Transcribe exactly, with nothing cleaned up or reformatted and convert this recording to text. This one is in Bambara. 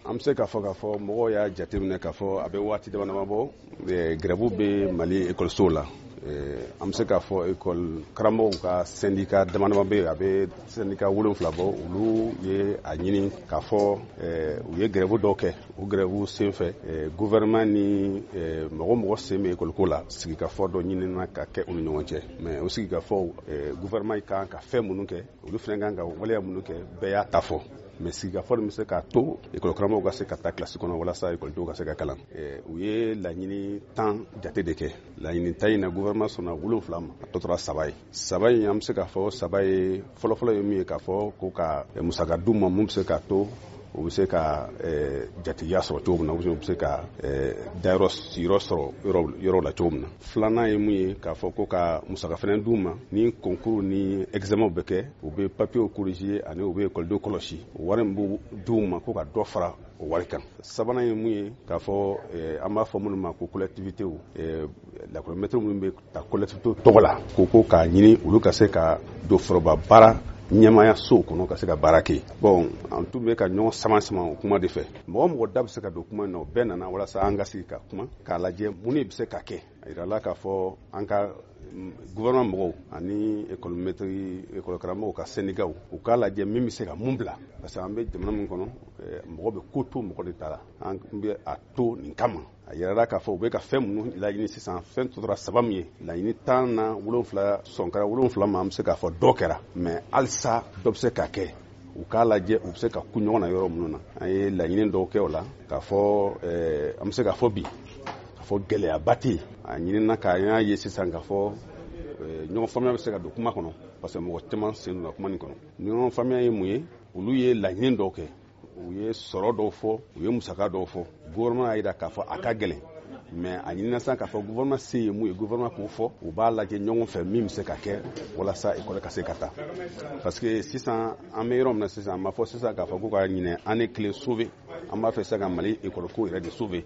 An bɛ se k'a fɔ k'a fɔ mɔgɔw y'a jateminɛ k'a fɔ a bɛ waati dama dama bɔ, grève bɛ Mali ekɔlisow la. An bɛ se k'a fɔ ekɔli karamɔgɔw ka syndicat dama dama bɛ yen, a bɛ syndicat wolonfila bɔ. Olu ye a ɲini k'a fɔ u ye grève dɔw kɛ. O grève senfɛ, gouvernement ni mɔgɔ mɔgɔ sen bɛ ekɔliko la, sigikafɔ dɔ ɲinina ka kɛ u ni ɲɔgɔn cɛ. Mais o sigikafɔw, gouvernement kan ka fɛn minnu kɛ, olu fana kan ka waleya minnu kɛ, bɛɛ y'a ta fɔ. Mais sigikafɔ bɛ se k'a to ekɔli karamɔgɔw ka se ka taa kilasi kɔnɔ walasa ekɔlidenw ka se ka kalan. U ye laɲini tan jate de kɛ. Laɲini tan in na, gouvernement sɔnna wolonfila ma, a tɔ tora saba ye. Saba in, an bɛ se k'a fɔ saba ye fɔlɔfɔlɔ ye min ye, k'a fɔ ko ka musaka d'u ma mun bɛ se k'a to u bɛ se ka jatigiya sɔrɔ cogo min na, u bɛ se ka dayɔrɔ sigiyɔrɔ sɔrɔ yɔrɔ la cogo min na. Filanan ye mun ye, k'a fɔ ko ka musaka fana d'u ma ni concours ni examen bɛ kɛ, u bɛ papiers corriger ani u bɛ ekɔlidenw kɔlɔsi, o wari min b'u d'u ma, ko ka dɔ fara o wari kan. Sabanan ye mun ye, k'a fɔ an b'a fɔ minnu ma ko collectivités, lakɔlimɛtiriw minnu bɛ ta collectivités tɔgɔ la, ko ko k'a ɲini olu ka se ka don foroba baara ɲɛmaaya sow kɔnɔ ka se ka baara kɛ. Bon, an tun bɛ ka ɲɔgɔn sama sama o kuma de fɛ. Mɔgɔ mɔgɔ da bɛ se ka don kuma in na, o bɛɛ nana walasa an ka sigi ka kuma k'a lajɛ mun de bɛ se ka kɛ. A yirala k'a fɔ an ka gouvernement mɔgɔw ani école maître, école karamɔgɔw ka syndicats, u k'a lajɛ min bɛ se ka mun bila, parce que an bɛ jamana min kɔnɔ, mɔgɔ bɛ ko to mɔgɔ de ta la, an bɛ a to nin kama. A yirala k'a fɔ u bɛ ka fɛn minnu laɲini sisan, fɛn tora saba min ye, laɲini tan na wolonfila sɔn kɛra wolonfila ma, an bɛ se k'a fɔ dɔ kɛra, mais halisa dɔ bɛ se ka kɛ. U k'a lajɛ u bɛ se ka ku ɲɔgɔn na yɔrɔ minnu na. An ye laɲini dɔw kɛ o la, k'a fɔ an bɛ se k'a fɔ bi k'a fɔ gɛlɛyaba tɛ yen. A ɲinina k'a y'a ye sisan k'a fɔ ɲɔgɔn faamuya bɛ se ka don kuma kɔnɔ, parce que mɔgɔ caman sen donna kuma nin kɔnɔ. Ɲɔgɔn faamuya ye mun ye? Olu ye laɲini dɔw kɛ, u ye sɔrɔ dɔw fɔ, u ye musaka dɔw fɔ. Gouvernement y'a jira k'a fɔ a ka gɛlɛn, mais a ɲinina sisan k'a fɔ gouvernement se ye mun ye, gouvernement k'o fɔ, u b'a lajɛ ɲɔgɔn fɛ min bɛ se ka kɛ walasa école ka se ka taa. Parce que sisan an bɛ yɔrɔ min na sisan, an b'a fɔ sisan k'a fɔ ko ka ɲinɛ année kelen sauver, an b'a fɛ sisan ka Mali école ko yɛrɛ de sauver.